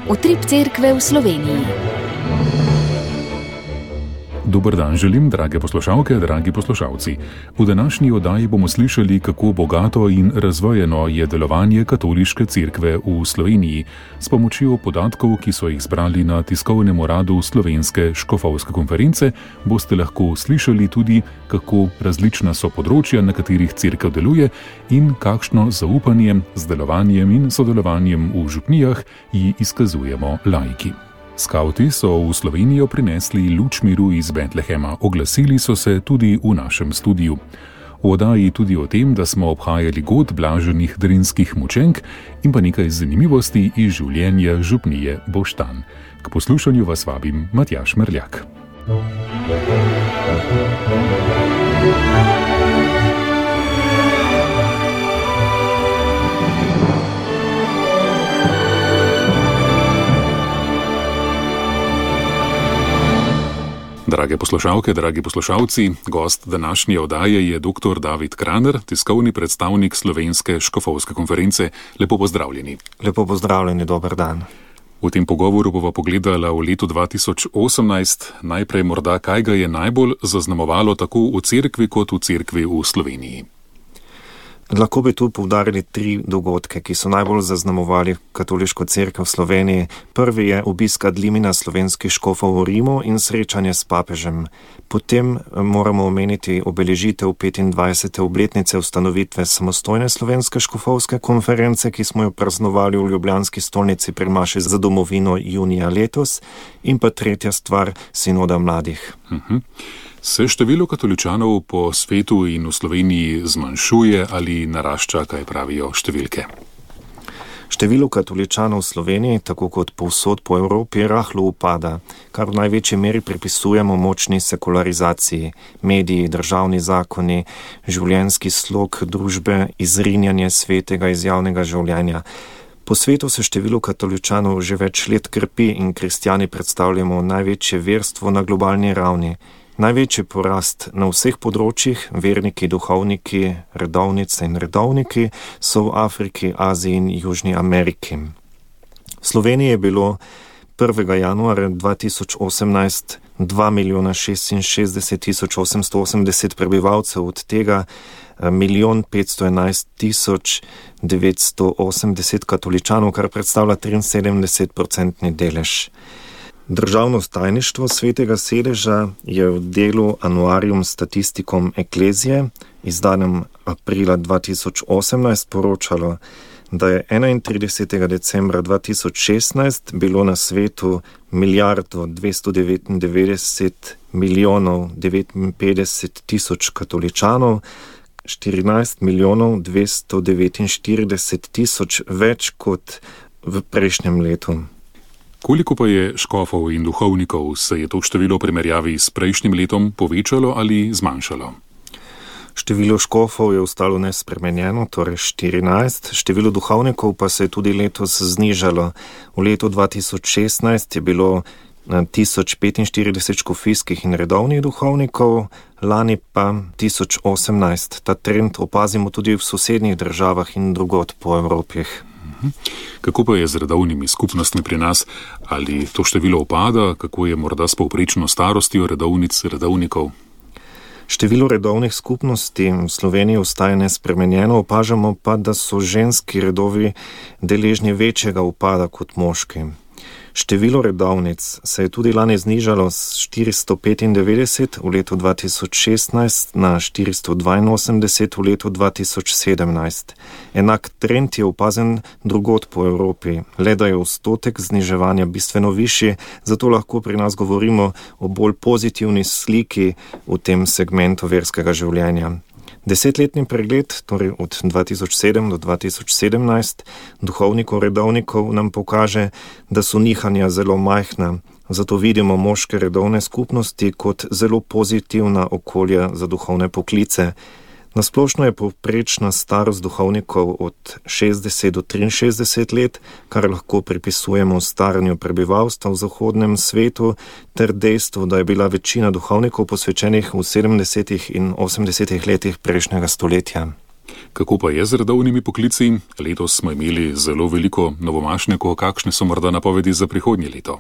Utrip cerkve v Sloveniji. Dober dan želim, drage poslušalke, dragi poslušalci. V današnji oddaji bomo slišali, kako bogato in razvojeno je delovanje katoliške cerkve v Sloveniji. S pomočjo podatkov, ki so jih zbrali na tiskovnem uradu Slovenske škofovske konference, boste lahko slišali tudi, kako različna so področja, na katerih cerkev deluje in kakšno zaupanje z delovanjem in sodelovanjem v župnijah ji izkazujemo laiki. Skavti so v Slovenijo prinesli luč miru iz Betlehema, oglasili so se tudi v našem studiu. V oddaji tudi o tem, da smo obhajali god blaženih drinskih mučenk in pa nekaj zanimivosti iz življenja župnije Boštanj. K poslušanju vas vabim Matjaž Merljak. Drage poslušalke, dragi poslušalci, gost današnje oddaje je dr. David Kraner, tiskovni predstavnik Slovenske škofovske konference. Lepo pozdravljeni. Lepo pozdravljeni, dober dan. V tem pogovoru bova pogledala v letu 2018, najprej morda kaj ga je najbolj zaznamovalo tako v cerkvi kot v cerkvi v Sloveniji. Lahko bi tu poudarili 3 dogodke, ki so najbolj zaznamovali katoliško cerkev v Sloveniji. Prvi je obisk ad limina slovenskih škofov v Rimu in srečanje s papežem. Potem moramo omeniti obeležitev 25. obletnice ustanovitve samostojne Slovenske škofovske konference, ki smo jo praznovali v ljubljanski stolnici pri maši za domovino junija letos. In pa tretja stvar, sinoda mladih. Se število katoličanov po svetu in v Sloveniji zmanjšuje ali narašča, kaj pravijo številke? Število katoličanov v Sloveniji, tako kot povsod po Evropi, rahlo upada, kar v največji meri pripisujemo močni sekularizaciji. Mediji, državni zakoni, življenjski slog družbe, izrinjanje svetega iz javnega življenja. Po svetu se število katoličanov že več let krepi in kristjani predstavljamo največje verstvo na globalni ravni. Največji porast na vseh področjih, verniki, duhovniki, redovnice in redovniki, so v Afriki, Aziji in Južni Ameriki. V Sloveniji je bilo 1. januarja 2018 2.066.880 prebivalcev, od tega 1.511.980 katoličanov, kar predstavlja 73% delež. Državno tajništvo Svetega sedeža je v delu Annuarium Statisticum Ecclesiae, izdanem aprila 2018, poročalo, da je 31. decembra 2016 bilo na svetu 1.299.059.000 katoličanov, 14.249.000 več kot v prejšnjem letu. Koliko pa je škofov in duhovnikov? Se je to število v primerjavi s prejšnjim letom povečalo ali zmanjšalo? Število škofov je ostalo nespremenjeno, torej 14, število duhovnikov pa se je tudi letos znižalo. V letu 2016 je bilo 1045 škofijskih in redovnih duhovnikov, lani pa 1018. Ta trend opazimo tudi v sosednjih državah in drugod po Evropi. Kako pa je z redovnimi skupnostmi pri nas? Ali to število upada? Kako je morda s povprečno starostjo redovnikov? Število redovnih skupnosti v Sloveniji ostaja nespremenjeno, opažamo pa, da so ženski redovi deležni večjega upada kot moški. Število redovnic se je tudi lani znižalo z 495 v letu 2016 na 482 v letu 2017. Enak trend je opazen drugod po Evropi, le da je odstotek zniževanja bistveno višji, zato lahko pri nas govorimo o bolj pozitivni sliki v tem segmentu verskega življenja. 10-letni pregled, torej od 2007 do 2017, duhovnikov redovnikov nam pokaže, da so nihanja zelo majhna, zato vidimo moške redovne skupnosti kot zelo pozitivna okolja za duhovne poklice. Nasplošno je povprečna starost duhovnikov od 60 do 63 let, kar lahko pripisujemo staranju prebivalstva v zahodnem svetu, ter dejstvu, da je bila večina duhovnikov posvečenih v 70. in 80. letih prejšnjega stoletja. Kako pa je z redovnimi poklici? Letos smo imeli zelo veliko novomašnikov, kakšne so morda napovedi za prihodnje leto?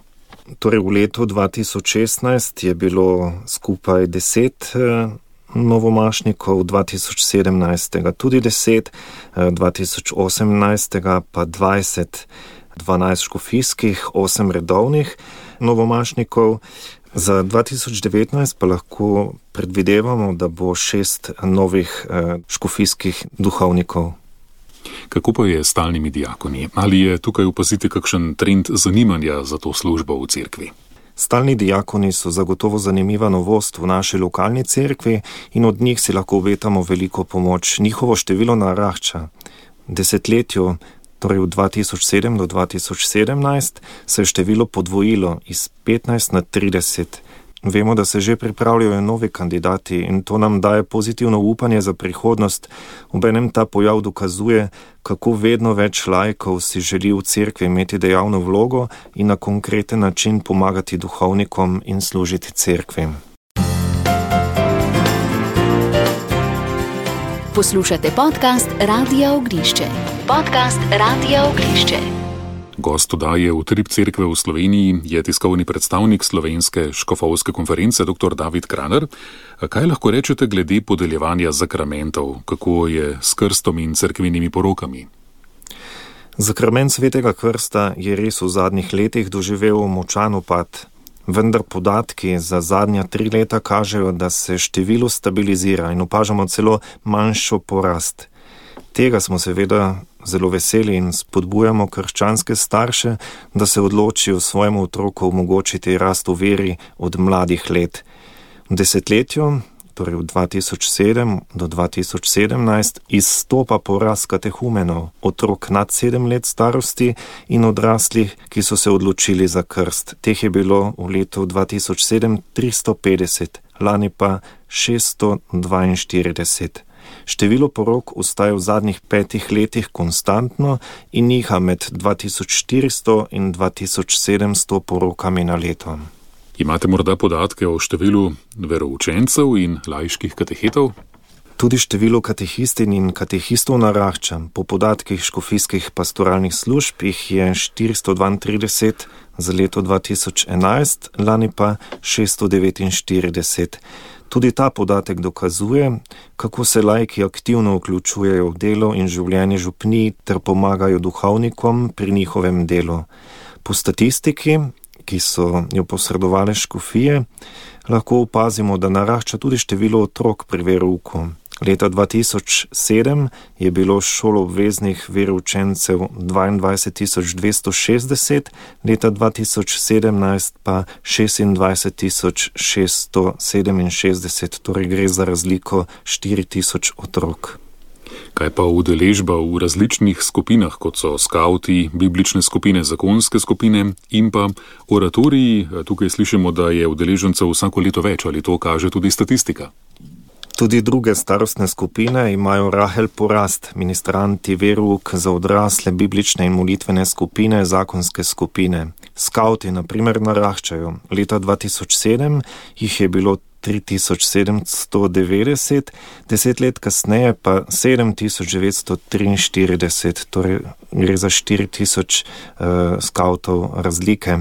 Torej v letu 2016 je bilo skupaj 10 novomašnikov, 2017 tudi 10, 2018 pa 20, 12 škofijskih, 8 redovnih novomašnikov. Za 2019 pa lahko predvidevamo, da bo 6 novih škofijskih duhovnikov. Kako pa je s stalnimi diakoni? Ali je tukaj opaziti kakšen trend zanimanja za to službo v cerkvi? Stalni diakoni so zagotovo zanimiva novost v naši lokalni cerkvi in od njih si lahko obetamo veliko pomoč. Njihovo število narašča. V desetletju, torej v 2007 do 2017, se je število podvojilo iz 15 na 30. Vemo, da se že pripravljajo novi kandidati in to nam daje pozitivno upanje za prihodnost. Obenem ta pojav dokazuje, kako vedno več laikov si želi v cerkvi imeti dejavno vlogo in na konkreten način pomagati duhovnikom in služiti cerkvi. Poslušate podcast Radia Ognišče. Podcast Radia Ognišče. Gost oddaje Utrip cerkve v Sloveniji je tiskovni predstavnik Slovenske škofovske konference dr. David Kraner. Kaj lahko rečete glede podeljevanja zakramentov? Kako je s krstom in cerkvenimi porokami? Zakrament svetega krsta je res v zadnjih letih doživel močan upad, vendar podatki za zadnja 3 leta kažejo, da se število stabilizira in opažamo celo manjšo porast. Tega smo seveda zelo veseli in spodbujamo krščanske starše, da se odločijo svojemu otroku omogočiti rast v veri od mladih let. V desetletju, torej v 2007 do 2017, izstopa porast katehumenov, otrok nad 7 let starosti in odraslih, ki so se odločili za krst. Teh je bilo v letu 2007 350, lani pa 642. Število porok ostaja v zadnjih 5 letih konstantno in niha med 2400 in 2700 porokami na leto. Imate morda podatke o številu veroučencev in laiških katehetov? Tudi število katehistin in katehistov narašča. Po podatkih škofijskih pastoralnih služb jih je 432 za leto 2011, lani pa 649. Tudi ta podatek dokazuje, kako se laiki aktivno vključujejo v delo in življenje župnij ter pomagajo duhovnikom pri njihovem delu. Po statistiki, ki so jo posredovale škofije, lahko opazimo, da narašča tudi število otrok pri verouku. Leta 2007 je bilo šoloobveznih veroučencev 22.260, leta 2017 pa 26.667, torej gre za razliko 4.000 otrok. Kaj pa udeležba v različnih skupinah, kot so skavti, biblične skupine, zakonske skupine in pa oratoriji? Tukaj slišimo, da je udeležencev vsako leto več, ali to kaže tudi statistika? Tudi druge starostne skupine imajo rahel porast, ministranti, verouk za odrasle, biblične in molitvene skupine, zakonske skupine. Skavti, na primer, naraščajo. Leta 2007 jih je bilo 3790, 10 let kasneje pa 7943, torej gre za 4000 skavtov razlike.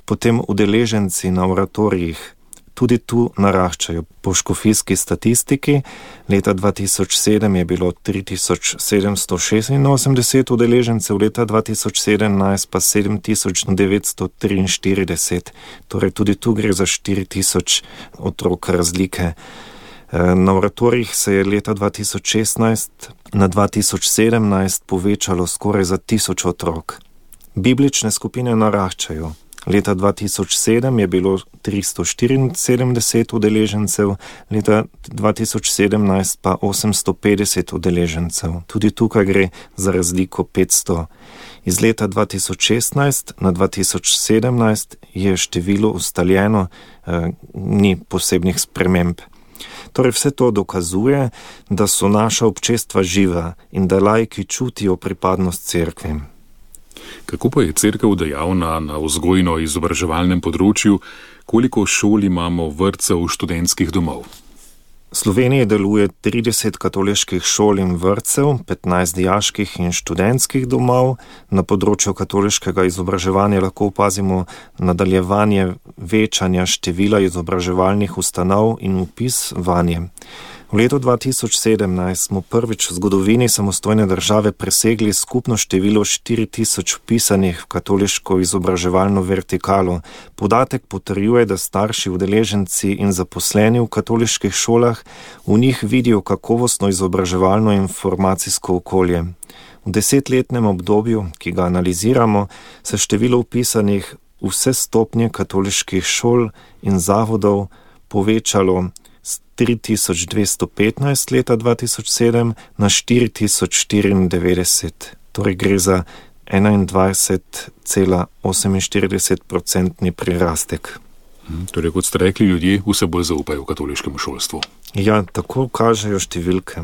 Potem udeleženci na oratorijih. Tudi tu naraščajo. Po škofijski statistiki leta 2007 je bilo 3786 udeležencev, leta 2017 pa 7943. Torej tudi tu gre za 4000 otrok razlike. Na oratorijih se je leta 2016 na 2017 povečalo skoraj za 1000 otrok. Biblične skupine naraščajo. Leta 2007 je bilo 374 udeležencev, leta 2017 pa 850 udeležencev. Tudi tukaj gre za razliko 500. Iz leta 2016 na 2017 je število ustaljeno, ni posebnih sprememb. Torej vse to dokazuje, da so naša občestva živa in da laiki čutijo pripadnost cerkvi. Kako pa je cerkev dejavna na vzgojno-izobraževalnem področju? Koliko šol imamo, vrtcev, študentskih domov? V Sloveniji deluje 30 katoliških šol in vrtcev, 15 dijaških in študentskih domov. Na področju katoliškega izobraževanja lahko opazimo nadaljevanje večanja števila izobraževalnih ustanov in vpis vanje. V letu 2017 smo prvič v zgodovini samostojne države presegli skupno število 4000 vpisanih v katoliško izobraževalno vertikalo. Podatek potrjuje, da starši, udeleženci in zaposleni v katoliških šolah v njih vidijo kakovostno izobraževalno informacijsko okolje. V 10-letnem obdobju, ki ga analiziramo, se število vpisanih v vse stopnje katoliških šol in zavodov povečalo z 3215 leta 2007 na 4094, torej gre za 21,48% prirastek. Torej, kot ste rekli, ljudje vse bolj zaupajo katoliškemu šolstvu. Ja, tako kažejo številke.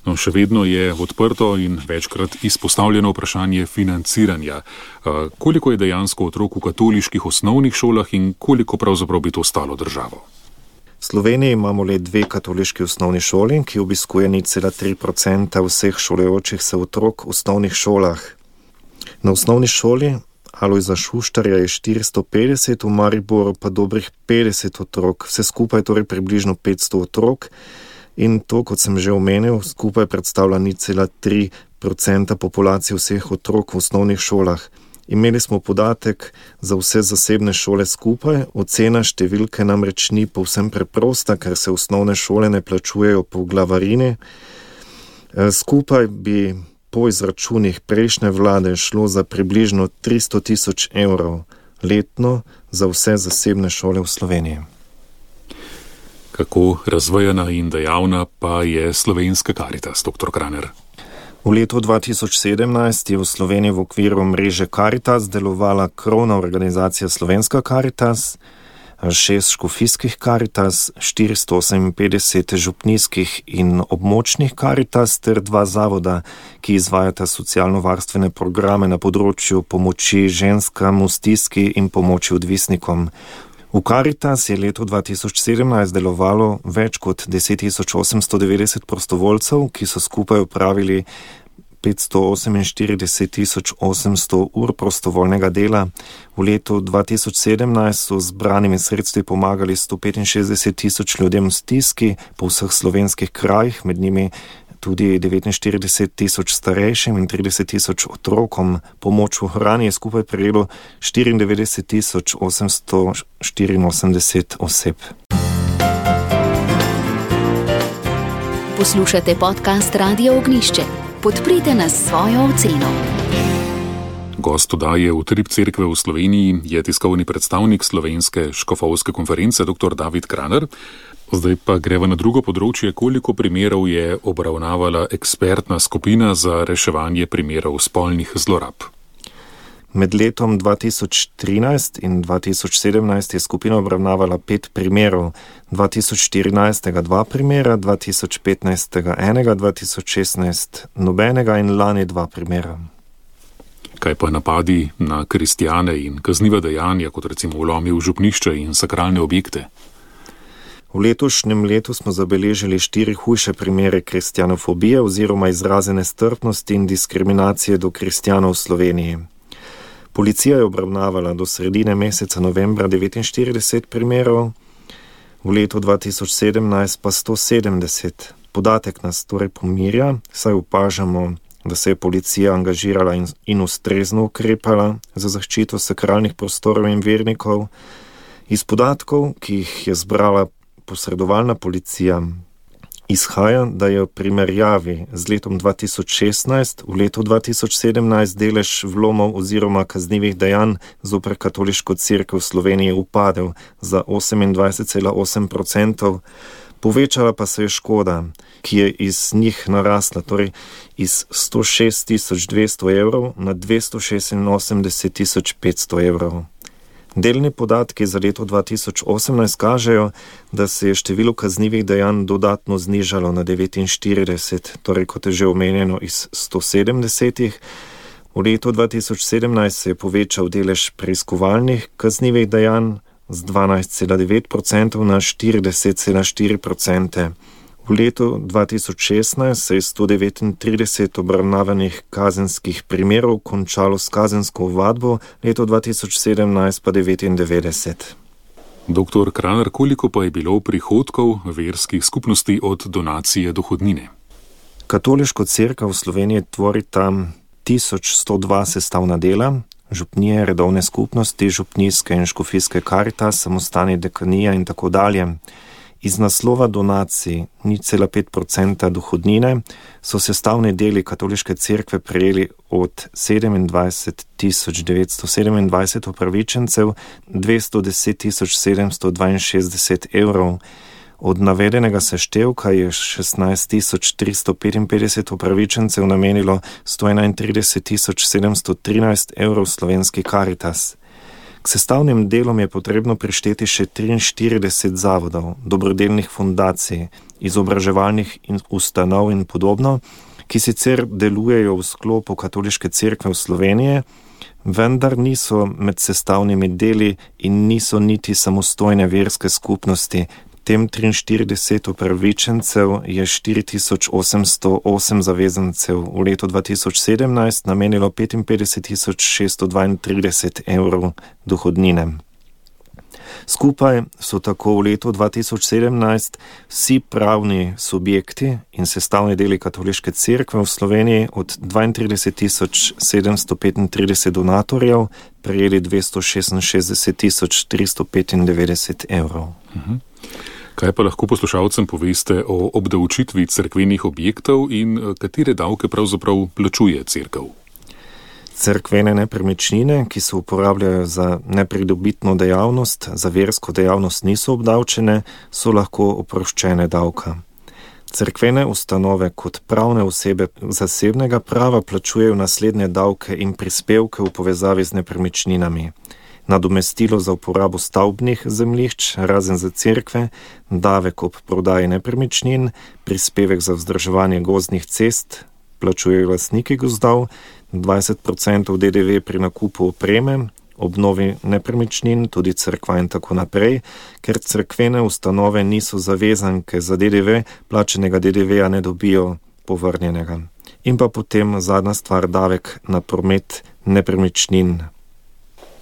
No, še vedno je odprto in večkrat izpostavljeno vprašanje financiranja. Koliko je dejansko otrok v katoliških osnovnih šolah in koliko pravzaprav bi to stalo državo? V Sloveniji imamo le 2 katoliški osnovni šoli, ki obiskuje 0,3% vseh šolajočih se otrok v osnovnih šolah. Na osnovni šoli Alojza Šuštarja je 450, v Mariboru pa dobrih 50 otrok, vse skupaj torej približno 500 otrok in to, kot sem že omenil, skupaj predstavlja 0,3% populacije vseh otrok v osnovnih šolah. Imeli smo podatek za vse zasebne šole skupaj, ocena številke namreč ni povsem preprosta, ker se osnovne šole ne plačujejo po glavarini. Skupaj bi po izračunih prejšnje vlade šlo za približno 300 000 evrov letno za vse zasebne šole v Sloveniji. Kako razvejana in dejavna pa je slovenska Karitas, dr. Kraner? V letu 2017 je v Sloveniji v okviru mreže Karitas delovala krovna organizacija Slovenska Karitas, 6 škofijskih Karitas, 458 župnijskih in območnih Karitas ter 2 zavoda, ki izvajata socialno-varstvene programe na področju pomoči ženskam v stiski in pomoči odvisnikom. V Karitas je leto 2017 delovalo več kot 10.890 prostovoljcev, ki so skupaj opravili 548.800 ur prostovoljnega dela. V letu 2017 so z zbranimi sredstvi pomagali 165 000 ljudem v stiski po vseh slovenskih krajih, med njimi tudi 49 000 starejšim in 30 000 otrokom. Pomoč v hrani je skupaj prejelo 94 884 oseb. Poslušate podcast Radia Ognjišče. Podprite nas s svojo oceno. Gost oddaje Utrip cerkve v Sloveniji je tiskovni predstavnik Slovenske škofovske konference dr. David Kraner. Zdaj pa greva na drugo področje, koliko primerov je obravnavala ekspertna skupina za reševanje primerov spolnih zlorab. Med letom 2013 in 2017 je skupina obravnavala 5 primerov, 2014 2 primera, 2015 enega, 2016 nobenega in lani 2 primera. Kaj pa napadi na kristjane in kazniva dejanja, kot recimo vlomi v župnišče in sakralne objekte? V letošnjem letu smo zabeležili 4 hujše primere kristjanofobije oziroma izraze nestrpnosti in diskriminacije do kristjanov v Sloveniji. Policija je obravnavala do sredine meseca novembra 49 primerov, v letu 2017 pa 170. Podatek nas torej pomirja, saj opažamo, da se je policija angažirala in ustrezno ukrepala za zaščito sakralnih prostorov in vernikov. Iz podatkov, ki jih je zbrala posredovalna policija, izhaja, da je v primerjavi z letom 2016 v letu 2017 delež vlomov oziroma kaznivih dejanj zoper katoliško cerkev v Sloveniji upadel za 28,8%, povečala pa se je škoda, ki je iz njih narasla, torej iz 106 200 evrov na 286 500 evrov. Delni podatki za leto 2018 kažejo, da se je število kaznivih dejanj dodatno znižalo na 49, torej kot je že omenjeno iz 170. V letu 2017 se je povečal delež preiskovalnih kaznivih dejanj z 12,9% na 40,4%. V letu 2016 se je 139 obravnavanih kazenskih primerov končalo s kazensko ovadbo, leto 2017 pa 99. Doktor Kranar, koliko pa je bilo prihodkov verskih skupnosti od donacije dohodnine? Katoliško cerkev v Sloveniji tvori tam 1102 sestavna dela, župnije, redovne skupnosti, župnijske in škofijske Karitas, samostani dekanija in tako dalje. Iz naslova donacij 0,5% dohodnine so sestavni deli katoliške cerkve prejeli od 27.927 upravičencev 210.762 evrov. Od navedenega seštevka je 16.355 upravičencev namenilo 131.713 evrov slovenski Karitas. K sestavnim delom je potrebno prišteti še 43 zavodov, dobrodelnih fundacij, izobraževalnih ustanov in podobno, ki sicer delujejo v sklopu Katoliške cerkve v Sloveniji, vendar niso med sestavnimi deli in niso niti samostojne verske skupnosti. Tem 43 upravičencev je 4808 zavezancev v letu 2017 namenilo 55.632 evrov dohodnine. Skupaj so tako v letu 2017 vsi pravni subjekti in sestavni deli Katoliške cerkve v Sloveniji od 32.735 donatorjev prejeli 266.395 evrov. Kaj pa lahko poslušalcem poveste o obdavčitvi cerkvenih objektov in katere davke pravzaprav plačuje cerkev? Cerkvene nepremičnine, ki se uporabljajo za nepridobitno dejavnost, za versko dejavnost niso obdavčene, so lahko oproščene davka. Cerkvene ustanove kot pravne osebe zasebnega prava plačujejo naslednje davke in prispevke v povezavi z nepremičninami. Nadomestilo za uporabo stavbnih zemljišč, razen za cerkve, davek ob prodaji nepremičnin, prispevek za vzdrževanje gozdnih cest, plačujejo lastniki gozdov, 20% DDV pri nakupu opreme, obnovi nepremičnin, tudi cerkva in tako naprej, ker cerkvene ustanove niso zavezanke za DDV, plačenega DDV-ja ne dobijo povrnjenega. In pa potem zadnja stvar, davek na promet nepremičnin.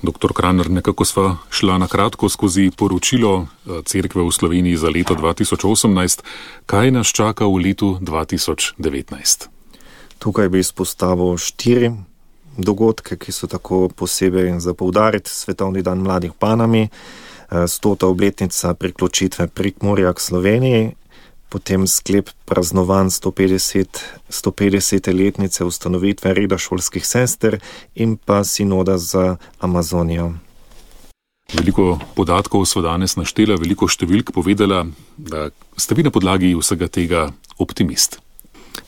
Doktor Kranar, nekako sva šla na kratko skozi poročilo cerkve v Sloveniji za leto 2018. Kaj nas čaka v letu 2019? Tukaj bi izpostavil 4 dogodke, ki so tako posebej za poudariti. Svetovni dan mladih v Panami, 100. obletnica priključitve Prekmurja k Sloveniji, potem sklep praznovanj 150. letnice ustanovitve reda šolskih sester in pa sinoda za Amazonijo. Veliko podatkov sva danes naštela, veliko številk povedala, da ste vi na podlagi vsega tega optimist.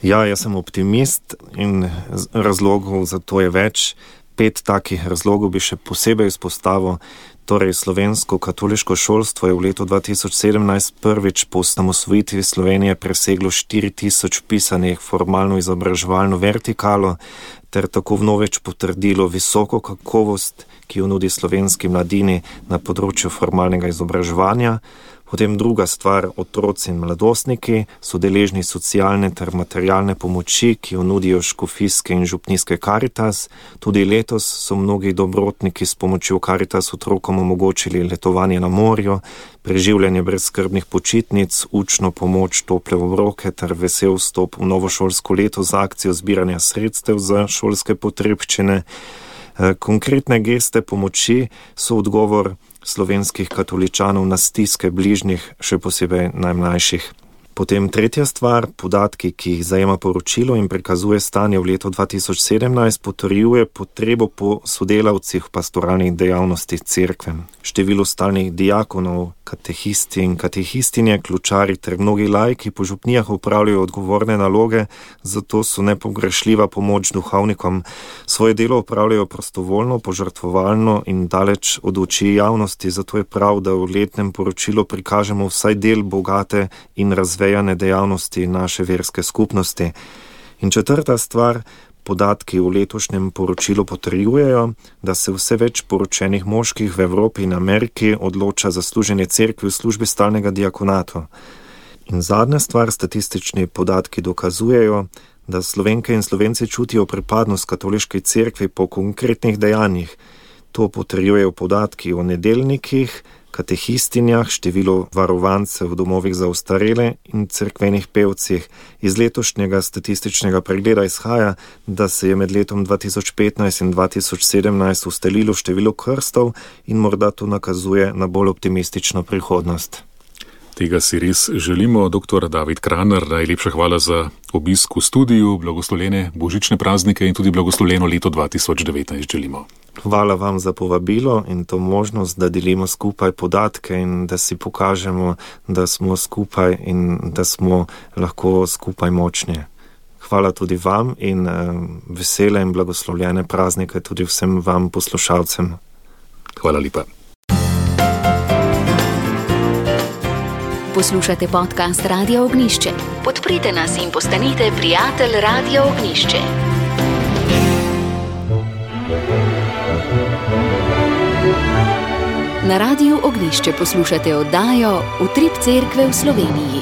Ja, jaz sem optimist in razlogov za to je več. 5 takih razlogov bi še posebej izpostavil. Torej, slovensko katoliško šolstvo je v letu 2017 prvič po osamosvojitvi Slovenije preseglo 4000 vpisanih formalno izobraževalno vertikalo ter tako vnovič potrdilo visoko kakovost, ki jo nudi slovenski mladini na področju formalnega izobraževanja. Potem druga stvar, otroci in mladostniki so deležni socialne ter materialne pomoči, ki jo nudijo škofijske in župnijske Karitas. Tudi letos so mnogi dobrotniki s pomočjo Karitas otrokom omogočili letovanje na morju, preživljanje brezskrbnih počitnic, učno pomoč, tople obroke ter vesel vstop v novo šolsko leto z akcijo zbiranja sredstev za šolske potrebščine. Konkretne geste pomoči so odgovor slovenskih katoličanov na stiske bližnjih, še posebej najmlajših. Potem tretja stvar, podatki, ki jih zajema poročilo in prikazuje stanje v letu 2017, potrjuje potrebo po sodelavcih v pastoralnih dejavnostih cerkve. Število stalnih diakonov, katehisti in katehistinje, ključari ter mnogi laiki po župnijah upravljajo odgovorne naloge, zato so nepogrešljiva pomoč duhovnikom. Svoje delo upravljajo prostovoljno, požrtvovalno in daleč od oči javnosti, zato je prav, da v letnem poročilu prikažemo vsaj del bogate in razvejane dejavnosti naše verske skupnosti. In četrta stvar, Podatki v letošnjem poročilu potrjujejo, da se vse več poročenih moških v Evropi in Ameriki odloča za služenje cerkvi v službi stalnega diakonata. In zadnja stvar, statistični podatki dokazujejo, da Slovenke in Slovenci čutijo pripadnost katoliški cerkvi po konkretnih dejanjih. To potrjujejo podatki o nedeljnikih, katehistinjah, število varovancev v domovih za ostarele in cerkvenih pevcih. Iz letošnjega statističnega pregleda izhaja, da se je med letom 2015 in 2017 ustalilo število krstov in morda to nakazuje na bolj optimistično prihodnost. Tega si res želimo. Dr. David Kraner, najlepša hvala za obisk v studiu, blagoslovljene božične praznike in tudi blagoslovljeno leto 2019 želimo. Hvala vam za povabilo in to možnost, da delimo skupaj podatke in da si pokažemo, da smo skupaj in da smo lahko skupaj močni. Hvala tudi vam in vesele in blagoslovljene praznike tudi vsem vam poslušalcem. Hvala lepa. Poslušate podcast Radia Ognišče. Podprite nas in postanite prijatelj Radia Ognišče. Na Radiu Ognišče poslušate oddajo Utrip cerkve v Sloveniji.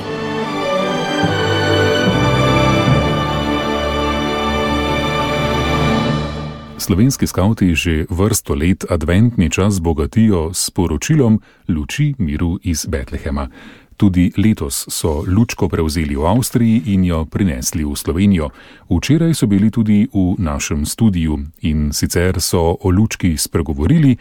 Slovenski skavti že vrsto let adventni čas bogatijo s poročilom luči miru iz Betlehema. Tudi letos so lučko prevzeli v Avstriji in jo prinesli v Slovenijo. Včeraj so bili tudi v našem studiu in sicer so o lučki spregovorili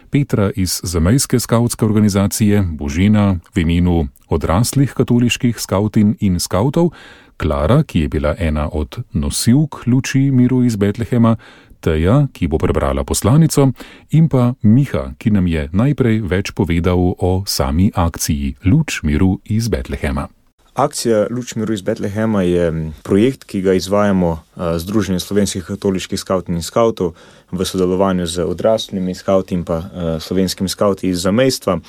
Petra iz zamejske skavtske organizacije, Božena v imenu odraslih katoliških skavtin in skavtov, Klara, ki je bila ena od nosilk luči miru iz Betlehema, Teja, ki bo prebrala poslanico, in pa Miha, ki nam je najprej več povedal o sami akciji Luč miru iz Betlehema. Akcija Luč miru iz Betlehema je projekt, ki ga izvajamo Združenje slovenskih katoliških skavtin in skavtov v sodelovanju z odraslimi skavti in pa slovenskimi skavti iz zamejstva.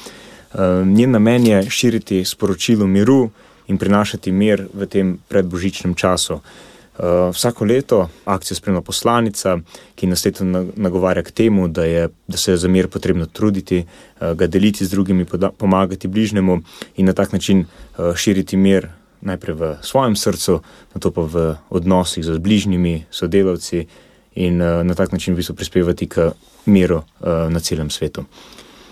Njen namen je širiti sporočilo miru in prinašati mir v tem predbožičnem času. Vsako leto akcijo spremlja poslanica, ki nas leto nagovarja k temu, da se je za mir potrebno truditi, ga deliti z drugimi, pomagati bližnjemu in na tak način širiti mir najprej v svojem srcu, nato pa v odnosih z bližnjimi, sodelavci in na tak način v bistvu prispevati k miru na celem svetu.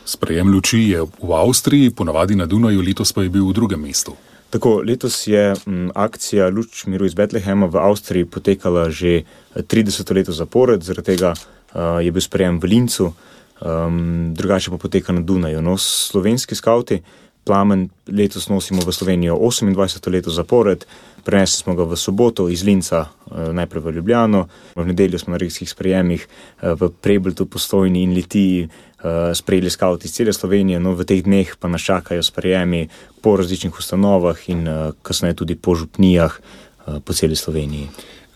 Sprejem luči je v Avstriji, ponavadi na Dunaju, letos pa je bil v drugem mestu. Tako, letos je akcija Luč miru iz Betlehema v Avstriji potekala že 30 leto zapored, zaradi tega je bil sprejem v Lincu, drugače pa poteka na Dunaju. No, slovenski skavti plamen letos nosimo v Slovenijo 28 leto zapored, prenesli smo ga v soboto iz Linca najprej v Ljubljano, v nedeljo smo na regijskih sprejemih v Prebeljtu, Postojni in Litiji sprejeli skavti iz cele Slovenije, no v teh dneh pa nas čakajo sprejemi po različnih ustanovah in kasneje tudi po župnijah po celi Sloveniji.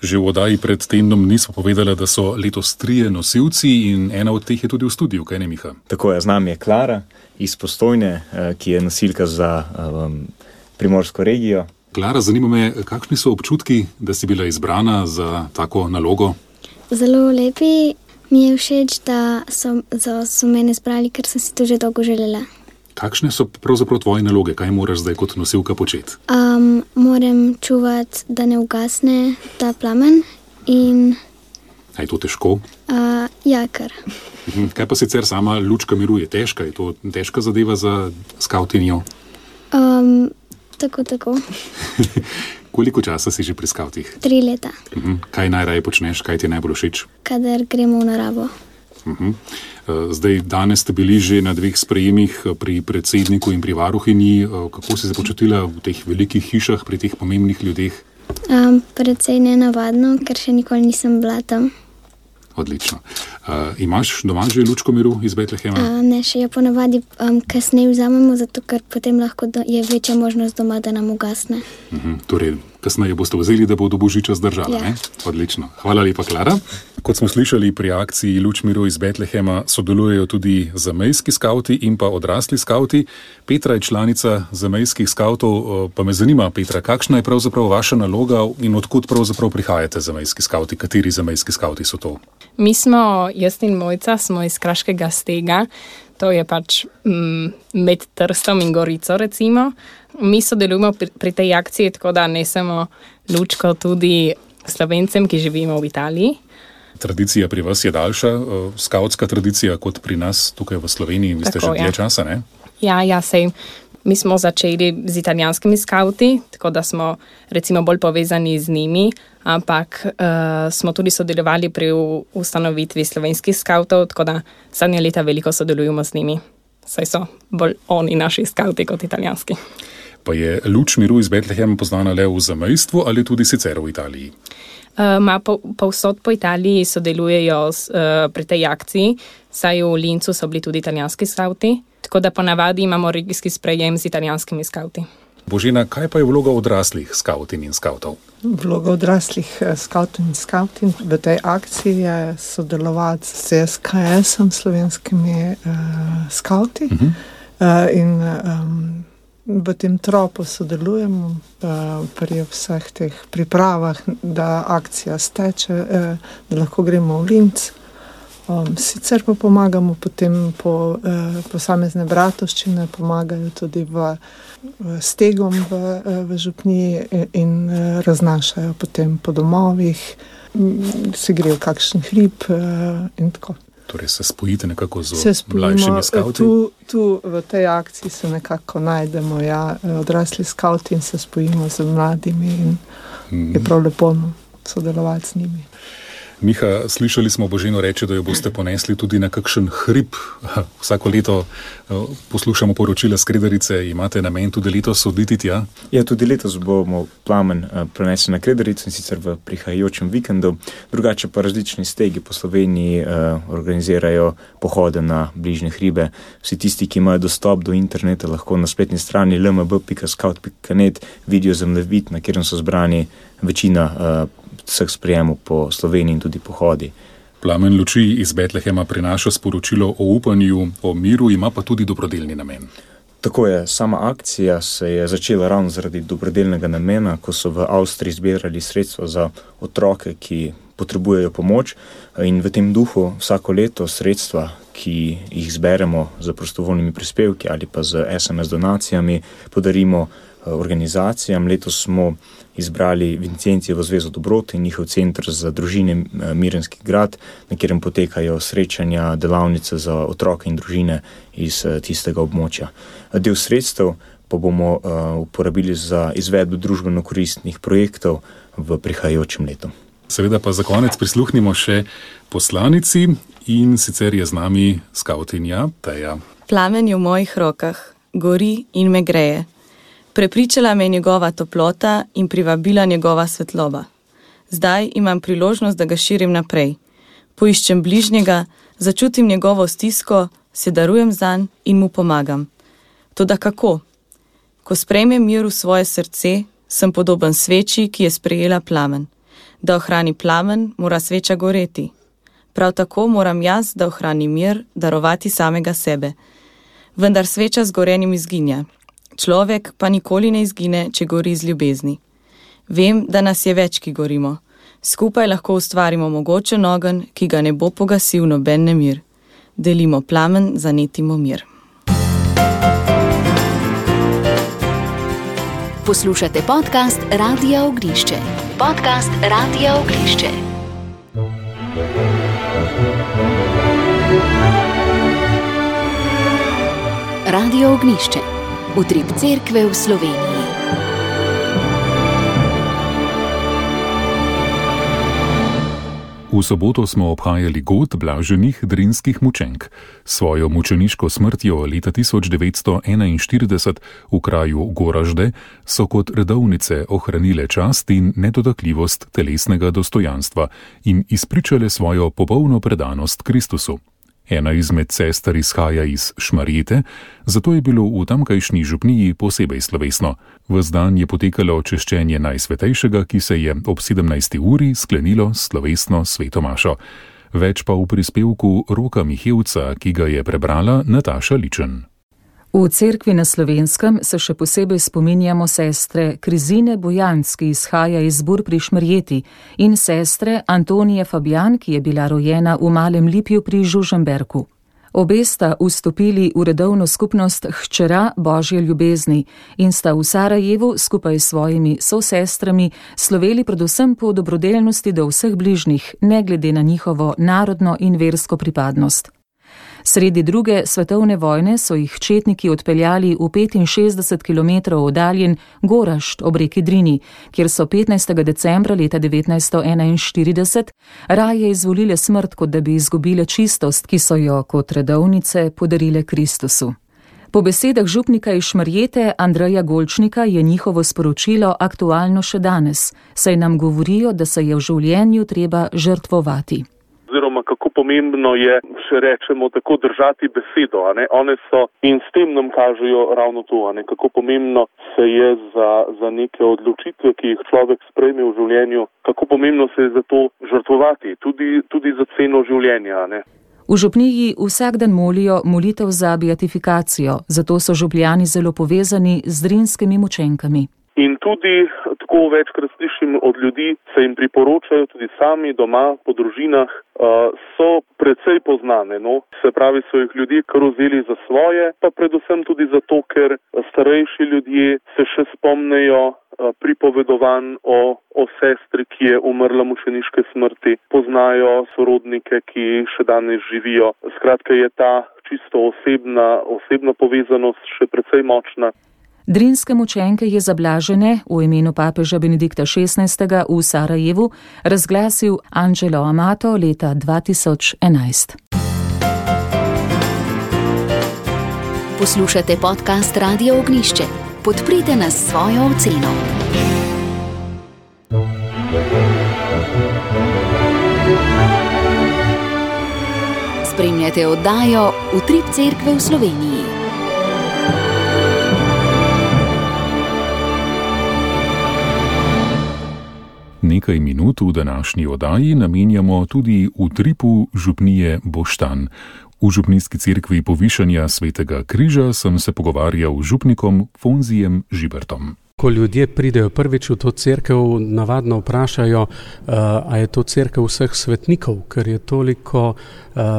Že v oddaji pred tednom nismo povedali, da so letos 3 nosilci in ena od teh je tudi v studiu, kaj ne, Miha? Tako je, z nami je Klara iz Postojne, ki je nosilka za primorsko regijo. Klara, zanima me, kakšni so občutki, da si bila izbrana za tako nalogo? Zelo lepi. Mi je všeč, da so mene izbrali, ker sem si to že dolgo želela. Kakšne so pravzaprav tvoje naloge? Kaj moraš zdaj kot nosilka početi? Moram čuvati, da ne ugasne ta plamen in... A je to težko? Ja, kar. Kaj pa sicer sama lučka miru je težka? Je to težka zadeva za skavtinjo? Tako. Koliko časa si že pri skavtih? 3 leta. Kaj najraje počneš? Kaj ti je najbolj všeč? Kadar gremo v naravo. Zdaj, danes ste bili že na 2 sprejemih pri predsedniku in pri varuhinji. Kako si se počutila v teh velikih hišah, pri teh pomembnih ljudeh? Precej nenavadno, ker še nikoli nisem bila tam. Odlično. Imaš doma že lučko miru iz Betlehema? Ne, še jo ponavadi kasneje vzamemo, zato ker potem lahko je večja možnost doma, da nam ugasne. Torej, kasneje boste vzeli, da bo do božiča zdržala, ja. Ne? Odlično. Hvala lepa, Klara. Kot smo slišali, pri akciji Luč miru iz Betlehema sodelujejo tudi zamejski skavti in pa odrasli skavti. Petra je članica zamejskih skavtov, pa me zanima, Petra, kakšna je pravzaprav vaša naloga in odkud pravzaprav prihajate zamejski skavti? Kateri zamejski skavti so to? Mi smo, jaz in Mojca, smo iz Kraškega Stega, to je pač med Trstom in Gorico, recimo. Mi sodelujemo pri tej akciji, tako da ne samo Lučko, tudi Slovencem, ki živimo v Italiji. Tradicija pri vas je daljša, skavtska tradicija kot pri nas tukaj v Sloveniji. Vi ste že dlje časa, ne? Ja, sej. Mi smo začeli z italijanskimi skavti, tako da smo recimo bolj povezani z njimi, ampak smo tudi sodelovali pri ustanovitvi slovenskih skavtov, tako da zadnje leta veliko sodelujemo z njimi. Saj so bolj oni naši skavti kot italijanski. Pa je Luč miru iz Betlehema poznana le v zamejstvu ali tudi sicer v Italiji? Povsod po Italiji sodelujejo pri tej akciji, saj v Lincu so bili tudi italijanski skavti, tako da ponavadi imamo regijski sprejem z italijanskimi skavti. Božena, kaj pa je vloga odraslih skavtin in skavtov? Vloga odraslih skavtov in skavtin v tej akciji je sodelovati s SKS-om, slovenskimi skavti. In v tem tropu sodelujemo pri vseh teh pripravah, da akcija steče, da lahko gremo v Linz. Sicer pa pomagamo potem po posamezne bratovščine, pomagajo tudi v Stegom v župniji in raznašajo potem po domovih, se grejo kakšen hrib in tako. Torej se spojite nekako z mlajšimi skavti? Tu v tej akciji se nekako najdemo, odrasli skavti in se spojimo z mladimi in je prav lepo sodelovati z njimi. Miha, slišali smo Boženo reči, da jo boste ponesli tudi na kakšen hrib. Vsako leto poslušamo poročila s Kredarice. Imate namen tudi letos oditi tja? Ja, tudi letos bomo plamen prenesli na Kredarico in sicer v prihajajočem vikendu. Drugače pa različni stegi po Sloveniji organizirajo pohode na bližnje hribe. Vsi tisti, ki imajo dostop do interneta, lahko na spletni strani lmb.scout.net vidijo zemljevid, na kjer so zbrani večina vseh sprejemov po Sloveniji in tudi pohodi. Plamen luči iz Betlehema prinaša sporočilo o upanju, o miru, ima pa tudi dobrodelni namen. Tako je, sama akcija se je začela ravno zaradi dobrodelnega namena, ko so v Avstriji zbirali sredstva za otroke, ki potrebujejo pomoč, in v tem duhu vsako leto sredstva, ki jih zberemo za prostovoljnimi prispevki ali pa z SMS donacijami, podarimo organizacijam. Letos smo izbrali Vincijencijevo zvezo dobrot in njihov center za družine Mirenski grad, na katerem potekajo srečanja, delavnice za otroke in družine iz tistega območja. Del sredstev pa bomo uporabili za izvedbo družbeno koristnih projektov v prihajajočem letu. Seveda pa za konec prisluhnimo še poslanici in sicer je z nami skavtinja Teja. Plamen je v mojih rokah, gori in me greje. Prepričala me je njegova toplota in privabila njegova svetloba. Zdaj imam priložnost, da ga širim naprej. Poiščem bližnjega, začutim njegovo stisko, se darujem zanj in mu pomagam. Toda kako? Ko sprejmem mir v svoje srce, sem podoben sveči, ki je sprejela plamen. Da ohrani plamen, mora sveča goreti. Prav tako moram jaz, da ohranim mir, darovati samega sebe. Vendar sveča z gorenjem izginja. Človek pa nikoli ne izgine, če gori z ljubezni. Vem, da nas je več, ki gorimo. Skupaj lahko ustvarimo mogočen ogenj, ki ga ne bo pogasil noben nemir. Delimo plamen, zanetimo mir. Poslušate podcast Radia Ognjišče. Podcast Radia Ognjišče. Radio Ognjišče. Utrip cerkve v Sloveniji. V soboto smo obhajali god blaženih drinskih mučenk. Svojo mučeniško smrtjo leta 1941 v kraju Goražde so kot redovnice ohranile čast in nedotakljivost telesnega dostojanstva in izpričale svojo popolno predanost Kristusu. Ena izmed sester izhaja iz Šmarjete, zato je bilo v tamkajšnji župniji posebej slovesno. Ves dan je potekalo češčenje Najsvetejšega, ki se je ob 17. uri sklenilo s slovesno sveto mašo. Več pa v prispevku Roka Mihevca, ki ga je prebrala Nataša Ličen. V cerkvi na Slovenskem se še posebej spominjamo sestre Krizine Bojanc, ki izhaja iz Bur pri Šmarjeti, in sestre Antonije Fabijan, ki je bila rojena v Malem Lipju pri Žužemberku. Obe sta vstopili v redovno skupnost Hčera Božje ljubezni in sta v Sarajevu skupaj s svojimi sosestrami sloveli predvsem po dobrodelnosti do vseh bližnjih, ne glede na njihovo narodno in versko pripadnost. Sredi druge svetovne vojne so jih četniki odpeljali v 65 km oddaljen Gorašt ob reki Drini, kjer so 15. decembra leta 1941 raje izvolile smrt, kot da bi izgubile čistost, ki so jo kot redovnice podarile Kristusu. Po besedah župnika iz Šmarjete Andreja Golčnika je njihovo sporočilo aktualno še danes, saj nam govorijo, da se je v življenju treba žrtvovati. Oziroma, kako pomembno je, še rečemo, tako držati besedo, One so in s tem nam kažejo ravno to, kako pomembno se je za neke odločitve, ki jih človek sprejme v življenju, kako pomembno se je za to žrtvovati, tudi za ceno življenja, V župniji vsak dan molijo molitev za beatifikacijo, zato so župljani zelo povezani z drinskimi mučenkami. In tudi, tako večkrat slišim od ljudi, se jim priporočajo tudi sami doma, po družinah, so precej poznane, Se pravi, so jih ljudje kar vzeli za svoje, pa predvsem tudi zato, ker starejši ljudje se še spomnejo pripovedovanj o sestri, ki je umrla mučeniške smrti, poznajo sorodnike, ki še danes živijo. Skratka, je ta čisto osebna povezanost še precej močna. Drinske mučenke je za blažene v imenu papeža Benedikta XVI. V Sarajevu razglasil Angelo Amato leta 2011. Poslušate podcast Radio Ognišče. Podprite nas s svojo oceno. Spremljate oddajo Utrip cerkve v Sloveniji. Nekaj minut v današnji oddaji namenjamo tudi utripu župnije Boštanj. V župnijski cerkvi Povišanja Svetega križa sem se pogovarjal z župnikom Fonzijem Žibertom. Ko ljudje pridejo prvič v to cerkev, navadno vprašajo, a je to cerkev vseh svetnikov, ker je toliko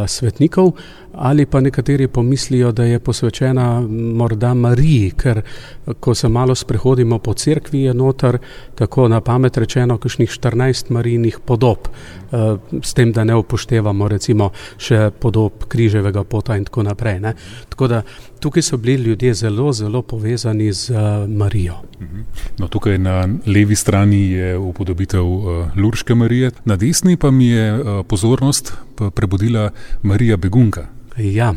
svetnikov, ali pa nekateri pomislijo, da je posvečena morda Mariji, ker ko se malo sprehodimo po cerkvi, je noter tako na pamet rečeno kakšnih 14 Marijinih podob, s tem, da ne upoštevamo recimo še podob križevega pota in tako naprej. Tako da tukaj so bili ljudje zelo, zelo povezani z Marijo. No, tukaj na levi strani je upodobitev Lurške Marije, na desni pa mi je pozornost prebudila Marija Begunka. Ja,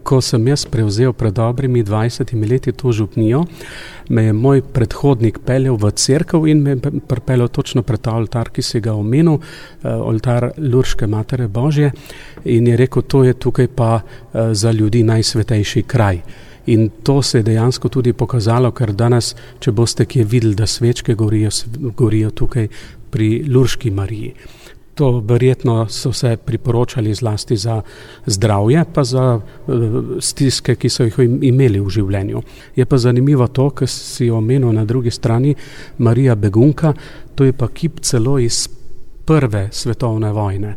ko sem jaz prevzel pred dobrimi 20 leti to župnijo, me je moj predhodnik peljal v cerkev in me pripeljal točno pred ta oltar, ki si ga omenil, oltar Lurške Matere Božje, in je rekel, to je tukaj pa za ljudi najsvetejši kraj. In to se je dejansko tudi pokazalo, ker danes, če boste kje videli, da svečke gorijo tukaj pri Lurški Mariji. To verjetno so se priporočali zlasti za zdravje, pa za stiske, ki so jih imeli v življenju. Je pa zanimivo to, kar si omenil na drugi strani, Marija Begunka, to je pa kip celo iz Prve svetovne vojne.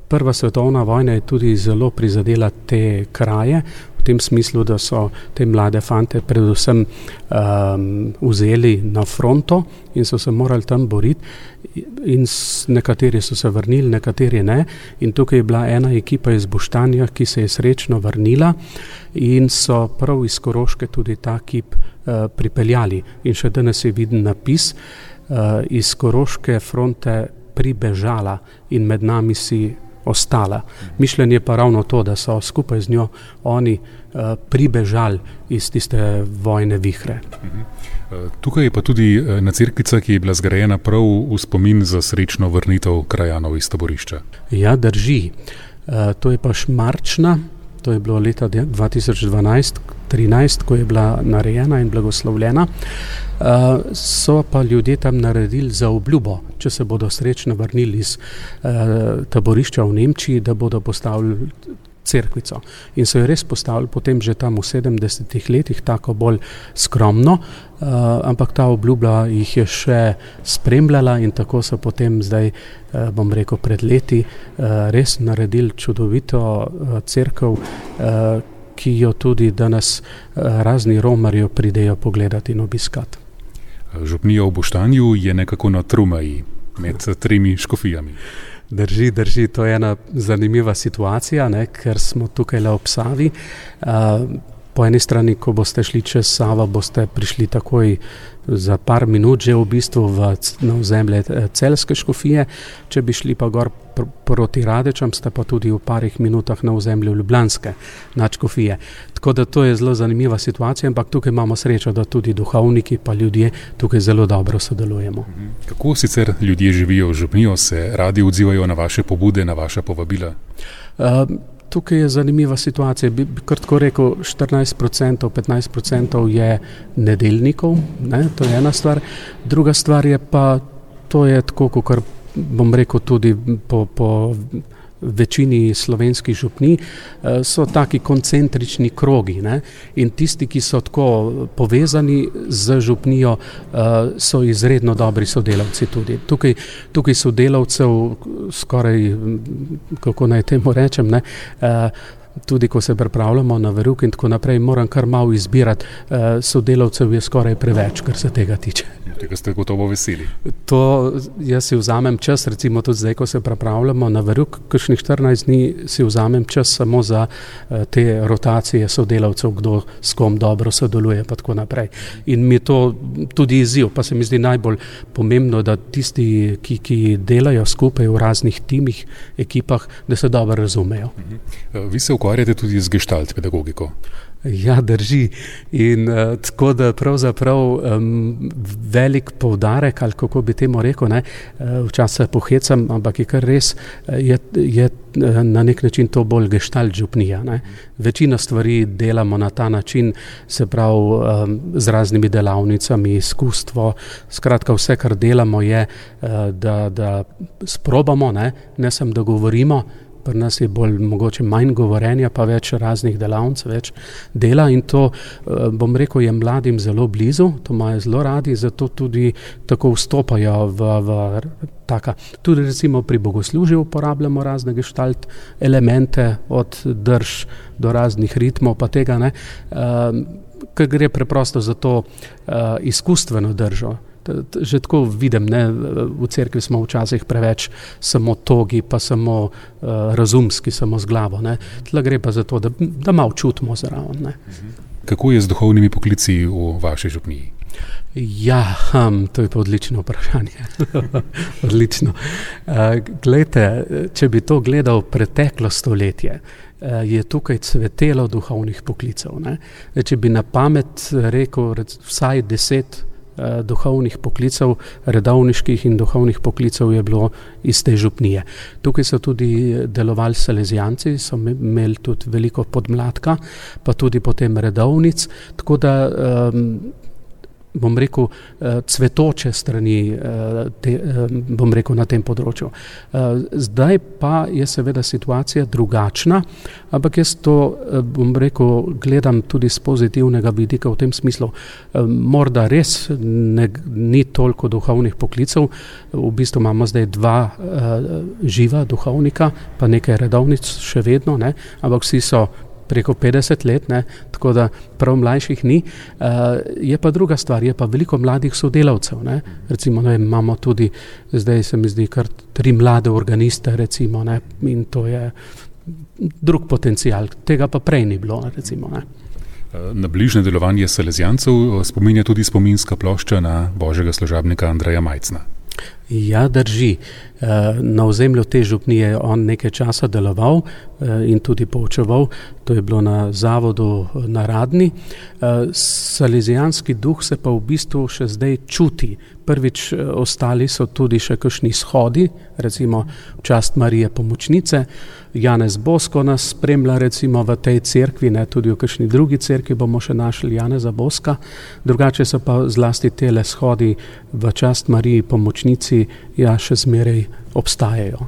Prva svetovna vojna je tudi zelo prizadela te kraje, v tem smislu, da so te mlade fante predvsem vzeli na fronto in so se morali tam boriti, in nekateri so se vrnili, nekateri ne, in tukaj je bila ena ekipa iz Boštanja, ki se je srečno vrnila in so prav iz Koroške tudi ta kip pripeljali. In še danes je viden napis, iz Koroške fronte pribežala in med nami si ostala. Mišljenje pa ravno to, da so skupaj z njo oni pribežali iz tiste vojne vihre. Tukaj je pa tudi ena cerkvica, ki je bila zgrajena prav v spomin za srečno vrnitev krajanov iz taborišča. Ja, drži. To je pa Šmarčna, to je bilo leta 2012-13, ko je bila narejena in blagoslovljena. So pa ljudje tam naredili za obljubo, če se bodo srečno vrnili iz taborišča v Nemčiji, da bodo postavili cerkvico. In so jo res postavili potem že tam v 70 letih, tako bolj skromno, ampak ta obljuba jih je še spremljala in tako so potem zdaj, bom rekel, pred leti res naredili čudovito cerkev, ki jo tudi danes razni romarji pridejo pogledati in obiskati. Župnija v Boštanju je nekako na Trumeji med 3 škofijami. Drži, to je ena zanimiva situacija, ne, ker smo tukaj le ob Savi. Po eni strani, ko boste šli čez Savo, boste prišli takoj za par minut že v bistvu na ozemlje Celjske škofije. Če bi šli pa gor proti Radečam, ste pa tudi v parih minutah na ozemlju Ljubljanske nadškofije. Tako da to je zelo zanimiva situacija, ampak tukaj imamo srečo, da tudi duhovniki pa ljudje tukaj zelo dobro sodelujemo. Kako sicer ljudje živijo v župnijo, se radi odzivajo na vaše pobude, na vaša povabila? Tukaj je zanimiva situacija, bi kar tako rekel, 14%, 15% je nedeljnikov, ne, to je ena stvar. Druga stvar je pa, to je tako, kot bom rekel tudi po večini slovenskih župnij, so taki koncentrični krogi, ne? In tisti, ki so tako povezani z župnijo, so izredno dobri sodelavci tudi. Tukaj sodelavcev skoraj, kako naj temu rečem, ne? Tudi ko se pripravljamo na verouk in tako naprej, moram kar malo izbirati, sodelavcev je skoraj preveč, kar se tega tiče. Tega ste gotovo veseli. To jaz si vzamem čas, recimo tudi zdaj, ko se pripravljamo na verouk, kakšnih 14 dni si vzamem čas samo za te rotacije sodelavcev, kdo s kom dobro sodeluje pa tako naprej. In mi je to tudi izziv, pa se mi zdi najbolj pomembno, da tisti, ki delajo skupaj v raznih timih, ekipah, da se dobro razumejo. Vi se ukvarjate tudi z gestalt pedagogiko. Ja, drži. In tako da pravzaprav velik poudarek, ali kako bi temu rekel, ne, včasih pohecam, ampak je kar res, je na nek način to bolj gestalt župnija. Ne. Večina stvari delamo na ta način, se pravi z raznimi delavnicami, izkustvo, skratka vse, kar delamo je, da sprobamo, ne samo da govorimo. Pri nas je bolj mogoče manj govorenja, pa več raznih delavnic, več dela in to, bom rekel, je mladim zelo blizu, to imajo zelo radi, zato tudi tako vstopajo v taka. Tudi recimo pri bogoslužju uporabljamo razne gestalt elemente, od drž do raznih ritmov, pa tega ne, ker gre preprosto za to izkustveno držo. Že tako vidim, ne, v cerkvi smo včasih preveč samo togi, pa samo razumski, samo z glavo. Ne. Tle gre pa za to, da malo čutimo zraven. Ne. Kako je z duhovnimi poklici v vaši župniji? Ja, to je pa odlično vprašanje. Odlično. Glejte, če bi to gledal preteklo stoletje, je tukaj cvetelo duhovnih poklicev. Ne. Če bi na pamet rekel vsaj 10 duhovnih poklicev, redovniških in duhovnih poklicev je bilo iz te župnije. Tukaj so tudi delovali salezijanci, so imeli tudi veliko podmladka, pa tudi potem redovnic, tako da bom rekel, cvetoče strani bom rekel na tem področju. Zdaj pa je seveda situacija drugačna, ampak jaz to, bom rekel, gledam tudi z pozitivnega vidika v tem smislu. Morda res ni toliko duhovnih poklicev, v bistvu imamo zdaj 2 živa duhovnika, pa nekaj redovnic še vedno, ne, ampak vsi so preko 50 let, ne, tako da prav mlajših ni. Je pa druga stvar, je pa veliko mladih sodelavcev. Ne. Recimo, ne, imamo tudi, zdaj se mi zdi, kar 3 mlade organiste, recimo, ne, in to je drug potencial, tega pa prej ni bilo, recimo, ne. Na bližnje delovanje salezijancev spominja tudi spominska plošča na božjega služabnika Andreja Majcna. Ja, drži. Na ozemlju te župnije je on nekaj časa deloval in tudi poučeval. To je bilo na zavodu na Radni. Salezijanski duh se pa v bistvu še zdaj čuti. Prvič, ostali so tudi še kakšni shodi, recimo v čast Marije Pomočnice. Janez Bosko nas spremlja recimo v tej cerkvi, ne, tudi v kakšni drugi cerkvi bomo še našli Janeza Boska. Drugače so pa zlasti tele shodi v čast Mariji Pomočnici ja še zmeraj obstajajo.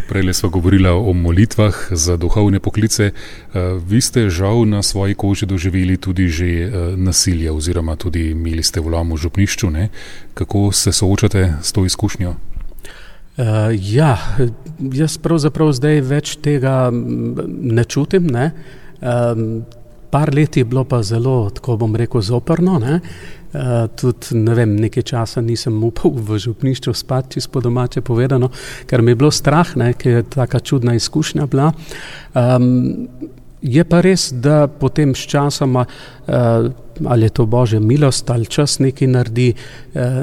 Prejle sva govorila o molitvah za duhovne poklice. Vi ste žal na svoji koži doživeli tudi že nasilje oziroma tudi imeli ste vlom v župnišču, ne? Kako se soočate s to izkušnjo? Ja, jaz pravzaprav zdaj več tega ne čutim, ne. Par let je bilo pa zelo, tako bom rekel, zoprno, ne. Tudi, ne vem, nekaj časa nisem upal v župnišču spati, čisto po domače povedano, ker mi je bilo strah, ne, ker je taka čudna izkušnja bila. Je pa res, da potem s časoma, ali je to Božja milost, ali čas nekaj naredi,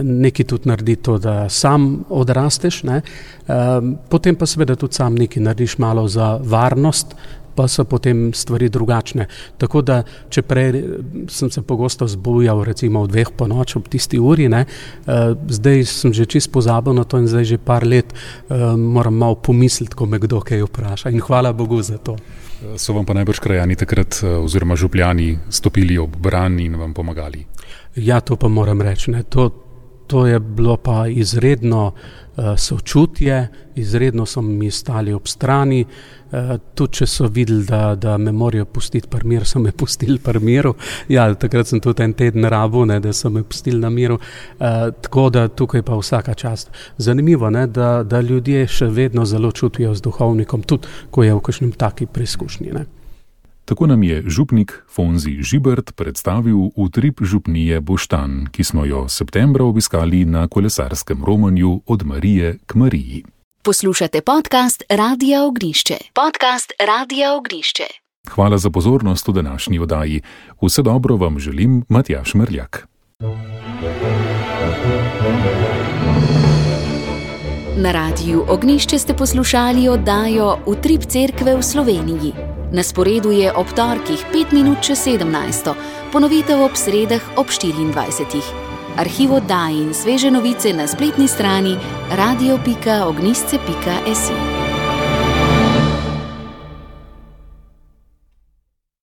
nekaj tudi naredi to, da sam odrasteš, ne. Potem pa seveda tudi sam nekaj narediš malo za varnost, pa so potem stvari drugačne. Tako da, če prej sem se pogosto zbujal recimo v 2 ponoči ob tisti uri, ne, zdaj sem že čisto pozabil na to in zdaj že par let moram malo pomisliti, ko me kdo kaj vpraša in hvala Bogu za to. So vam pa najbrž krajani takrat oziroma župljani stopili ob bran in vam pomagali? Ja, to pa moram reči, ne, to je bilo pa izredno sočutje, izredno so mi stali ob strani, tudi če so videli, da me morajo pustiti pri miru, so me pustili pri miru. Ja, takrat sem tudi en teden rabil, ne, da so me pustili na miru, tako da tukaj pa vsaka čast. Zanimivo, ne, da ljudje še vedno zelo čutijo z duhovnikom, tudi ko je v kakšnem taki preizkušnji, ne. Tako nam je župnik Fonzi Žibert predstavil utrip župnije Boštanj, ki smo jo septembra obiskali na kolesarskem romanju Od Marije k Mariji. Poslušate podcast Radia Ognišče. Podcast Radia Ognišče. Hvala za pozornost v današnji oddaji. Vse dobro vam želim, Matjaž Merljak. Na Radiju Ognišče ste poslušali oddajo Utrip cerkve v Sloveniji. Na sporedu je ob torkih 5 minut čez 17, ponovitev ob sredah ob 24. Arhiv oddaj in sveže novice na spletni strani radio.ognisce.si.